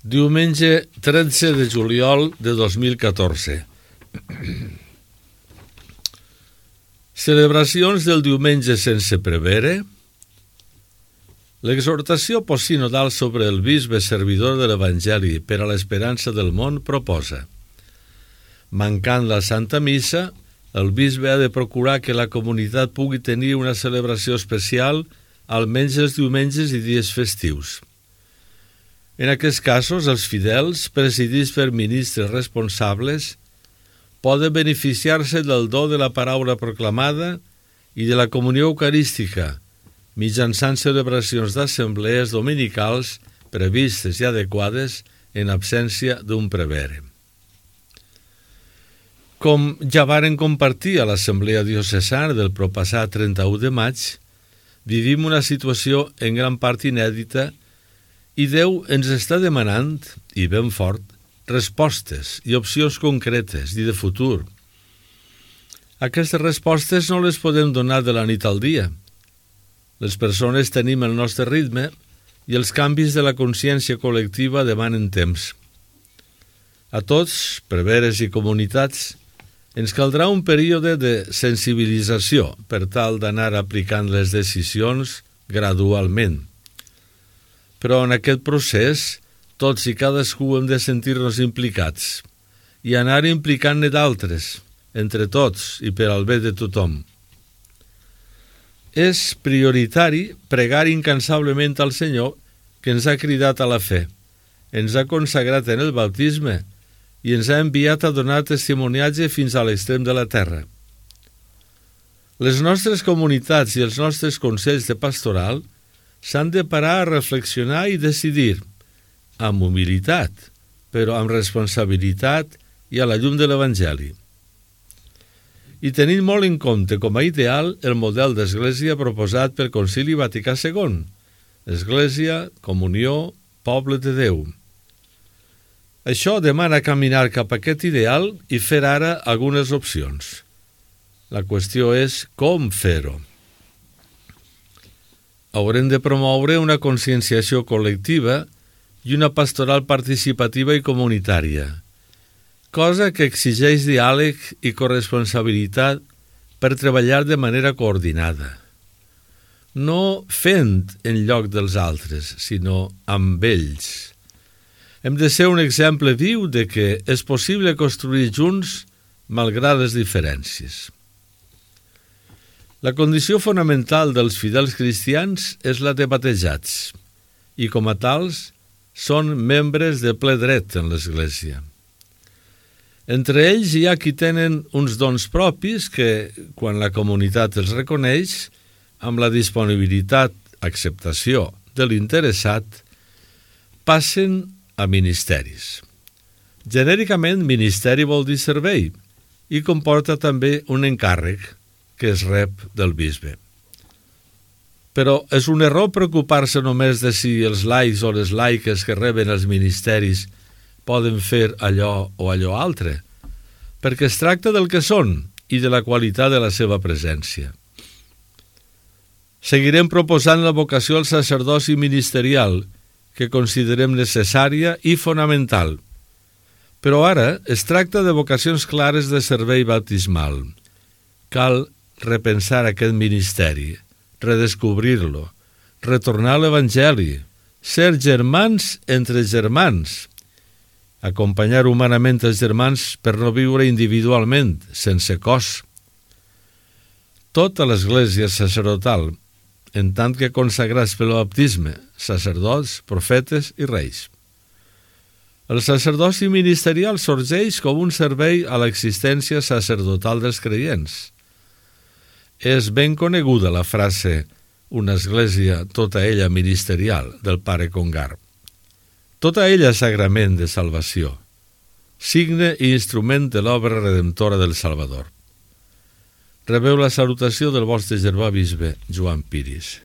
Diumenge 13 de juliol de 2014. Celebracions del diumenge sense prevere. L'exhortació postsinodal sobre el bisbe servidor de l'Evangeli per a l'esperança del món proposa: mancant la Santa Missa, el bisbe ha de procurar que la comunitat pugui tenir una celebració especial almenys els diumenges i dies festius. En aquests casos, els fidels, presidits per ministres responsables, poden beneficiar-se del do de la paraula proclamada i de la comunió eucarística, mitjançant celebracions d'assemblees dominicals previstes i adequades en absència d'un prevere. Com ja varen compartir a l'Assemblea Diocesana del proppassat 31 de maig, vivim una situació en gran part inèdita i Déu ens està demanant, i ben fort, respostes i opcions concretes i de futur. Aquestes respostes no les podem donar de la nit al dia. Les persones tenim el nostre ritme i els canvis de la consciència col·lectiva demanen temps. A tots, preveres i comunitats, ens caldrà un període de sensibilització per tal d'anar aplicant les decisions gradualment. Però en aquest procés, tots i cadascú hem de sentir-nos implicats i anar implicant-ne d'altres, entre tots i per al bé de tothom. És prioritari pregar incansablement al Senyor, que ens ha cridat a la fe, ens ha consagrat en el bautisme i ens ha enviat a donar testimoniatge fins a l'extrem de la terra. Les nostres comunitats i els nostres consells de pastoral s'han de parar a reflexionar i decidir, amb humilitat, però amb responsabilitat i a la llum de l'Evangeli. I tenint molt en compte com a ideal el model d'església proposat pel Concili Vaticà II, església, comunió, poble de Déu. Això demana caminar cap a aquest ideal i fer ara algunes opcions. La qüestió és com fer-ho. Haurem de promoure una conscienciació col·lectiva i una pastoral participativa i comunitària, cosa que exigeix diàleg i corresponsabilitat per treballar de manera coordinada. No fent en lloc dels altres, sinó amb ells. Hem de ser un exemple viu de que és possible construir junts malgrat les diferències. La condició fonamental dels fidels cristians és la de batejats i, com a tals, són membres de ple dret en l'Església. Entre ells hi ha qui tenen uns dons propis que, quan la comunitat els reconeix, amb la disponibilitat, acceptació de l'interessat, passen a ministeris. Genèricament, ministeri vol dir servei i comporta també un encàrrec que es rep del bisbe. Però és un error preocupar-se només de si els laics o les laiques que reben els ministeris poden fer allò o allò altre, perquè es tracta del que són i de la qualitat de la seva presència. Seguirem proposant la vocació al sacerdoci ministerial, que considerem necessària i fonamental. Però ara es tracta de vocacions clares de servei baptismal. Cal repensar aquest ministeri, redescobrir-lo, retornar a l'Evangeli, ser germans entre germans, acompanyar humanament els germans per no viure individualment, sense cos. Tota l'Església sacerdotal, en tant que consagrats pel baptisme, sacerdots, profetes i reis. El sacerdoci ministerial sorgeix com un servei a l'existència sacerdotal dels creients. És ben coneguda la frase «una església tota ella ministerial» del pare Congar. Tota ella sagrament de salvació, signe i instrument de l'obra redemptora del Salvador. Rebeu la salutació del vostre germà bisbe Joan Piris.